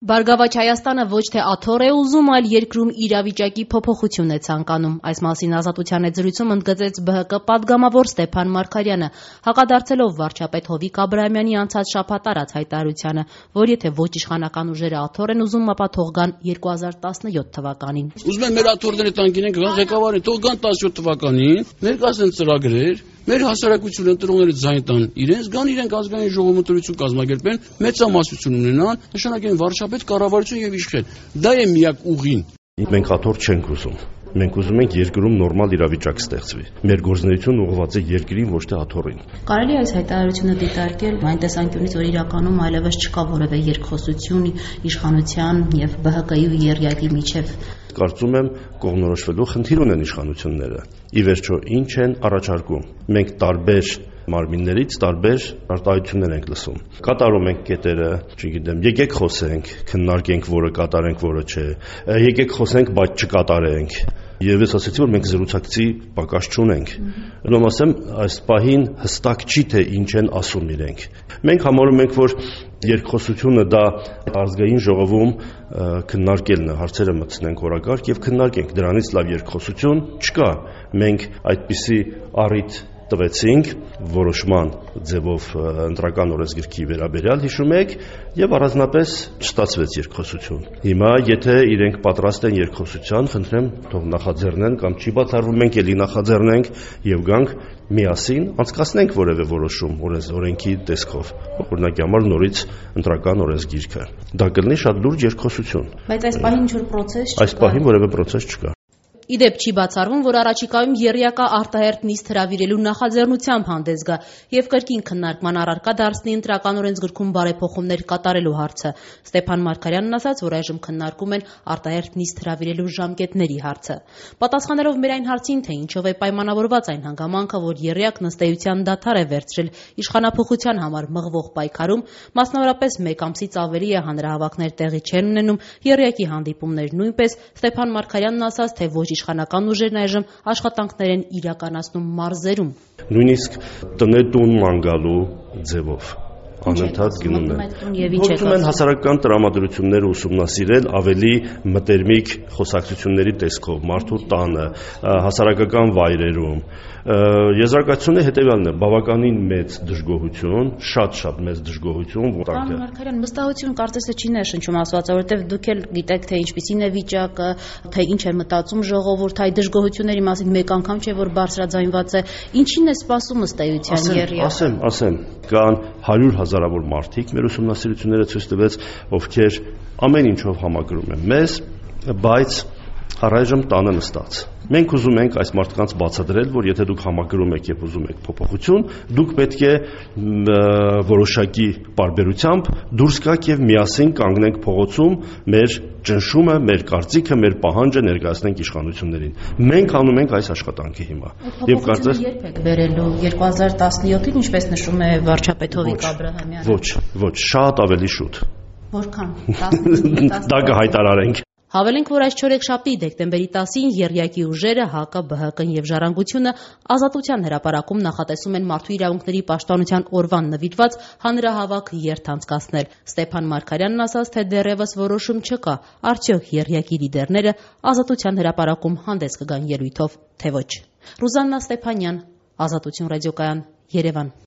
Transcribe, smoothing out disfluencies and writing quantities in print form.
Բարգավաճ Հայաստանը ոչ թե աթոռ է ուզում, այլ երկրում իրավիճակի փոփոխություն է ցանկանում։ Այս մասին Ազատության եթերում ընդգծեց ԲՀԿ պատգամավոր Ստեփան Մարգարյանը, հակադարձելով վարչապետ Հովիկ Աբրահամյանի անցած շաբաթ արած հայտարարությանը, որ եթե ոչ իշխանական ուժերը աթոռ են ուզում, ապա թող գան 2017 թվականին։ Ուզում են մեր աթոռները տան գինեն, գան ղեկավարին, թող գան 17 թվականին, ներկայացնեն ծրագրեր, մեր հասարակությունը ընտրողները ձայն տան իրենց, գան իրենք ազգային ժողովում ընտրություն կազմակերպեն, մեծամասնություն ունենան, նշանակեն վարչապետ, կառավարություն եւ իշխեն։ Դա է միակ ուղին։ Մենք աթոռ չենք ուզում։ Մենք ուզում ենք երկրում նորմալ իրավիճակ ստեղծվի։ Մեր գործունեությունը ուղղված է երկրին, ոչ թե աթոռին։ Կարելի է այս հայտարարությունը դիտարկել այն տեսանկյունից, որ իրականում այլևս չկա որևէ երկխոսություն իշխանության եւ ԲՀԿ-ի ու ԵՌՅԱԿ-ի միջեւ։ Կարծում եմ կողմնորոշվելու խնդիր ունեն իշխանությունները։ Ի վերջո ինչ են առաջարկում։ Մենք տարբեր մարմիններից տարբեր արտահայտություններ ենք լսում։ Կատարում ենք կետերը, չգիտեմ, եկեք խոսենք, քննարկենք, որը կատարենք, որը չէ։ Եկեք խոսենք, բայց չկատարենք։ Եվ ես ասացի, որ մենք զրուցակցի պակաս չունենք։ Ուրեմն ասեմ, այս պահին հստակ չի, թե ինչ են ասում իրենք։ Մենք համարում ենք, որ երկխոսությունը դա ազգային ժողովում քննարկելն է, հարցերը մտցնենք օրակարգ եւ քննարկենք։ Դրանից լավ երկխոսություն չկա։ Մենք այդպիսի առիթ տվեցինք որոշման ձևով ընտրական օրենսգրքի վերաբերյալ, հիշում եք, եւ առանձնապես չստացվեց երկխոսություն։ Հիմա եթե իրենք պատրաստ են երկխոսության, խնդրեմ, թող նախաձեռնեն կամ չի բացառվում, մենք էլի նախաձեռնենք եւ գանք միասին անցկացնենք որևէ որոշում օրենքի տեսքով։ Օրինակի համար նորից ընտրական օրենսգիրքը։ Դա կլինի շատ լուրջ երկխոսություն։ Բայց այս պահին ինչ-որ process չկա։ Այս պահին որևէ process չկա։ Իդեպ չի բացառվում, որ առաջիկայում ԵՌՅԱԿ-ը արտահերթ նիստ հրավիրելու նախաձեռնությամբ հանդես գա եւ կրկին քննարկման առարկա դարձնի ընտրական օրենսգրքում բարեփոխումներ կատարելու հարցը։ Ստեփան Մարգարյանն ասաց, որ այժմ քննարկում են արտահերթ նիստ հրավիրելու ժամկետների հարցը։ Պատասխանելով մեր այն հարցին, թե ինչով է պայմանավորված այն հանգամանքը, որ ԵՌՅԱԿ-ն ըստ էության դադար է վերցրել իշխանափոխության համար մղվող պայքարում, մասնավորապես 1 ամսից ավելի է հանրահավաքներ տեղի չեն ունենում, ԵՌՅԱԿ-ի հանդիպումներ նույնպես, Ստեփան Մարգարյանն ասաց, թե ոչ իշխանական ուժերն այժմ աշխատանքներ են իրականացնում մարզերում։ Նույնիսկ տնետուն ման գալու ձևով անընդհատ գնում են։ Փորձում են հասարակական տրամադրությունները ուսումնասիրել ավելի մտերմիկ խոսակցությունների տեսքով, մարդու տանը, հասարակական վայրերում։ Եզրակացությունը հետևյալն է՝ բավականին մեծ դժգոհություն, շատ մեծ դժգոհություն, Պարոն Մարգարյան, վստահություն կարծես չի ներշնչում ասվածը, որովհետև դուք էլ գիտեք, թե ինչպիսին է վիճակը, թե ինչ է մտածում ժողովուրդը, այդ դժգոհությունների մասին մեկ անգամ չէ, որ բարձրաձայնված է։ Ինչին է սպասում ըստ էության ԵՌՅԱԿ-ը։ Ասեմ, կան 100,000-ավոր մարդիկ, մեր ուսումնասիրությունները ցույց տվեց, ովքեր ամեն ինչով համակրում են մեզ, բայց առայժմ տանը նստած։ Մենք ուզում ենք այս մարդկանց բացատրել, որ եթե դուք համակրում եք եւ ուզում եք փոփոխություն, դուք պետք է որոշակի պարբերությամբ դուրս գաք եւ միասին կանգնենք փողոցում մեր ճնշումը, մեր կարծիքը, մեր պահանջը ներկայացնենք իշխանություններին։ Մենք անում ենք այս աշխատանքը հիմա։ Եվ կարծես երբ եք վերելու 2017-ին, ինչպես նշում է վարչապետ Հովիկ Աբրահամյանը։ Ոչ, շատ ավելի շուտ։ Որքան։ Դա կհայտարարենք։ Հավելենք, որ այս չորեքշաբթի դեկտեմբերի 10-ին ԵՌՅԱԿ-ի ուժերը ՀԱԿ-ը, ԲՀԿ-ն եւ Ժառանգությունը Ազատության հրապարակում նախատեսում են մարդու իրավունքների պաշտպանության օրվան նվիրված հանրահավաք երթ անցկացնել։ Ստեփան Մարգարյանն ասաց, թե դեռևս որոշում չկա, արդյոք ԵՌՅԱԿ-ի լիդերները Ազատության հրապարակում հանդես կգան ելույթով, թե ոչ։ Ռուզաննա Ստեփանյան, Ազատություն ռադիոկայան, Երևան։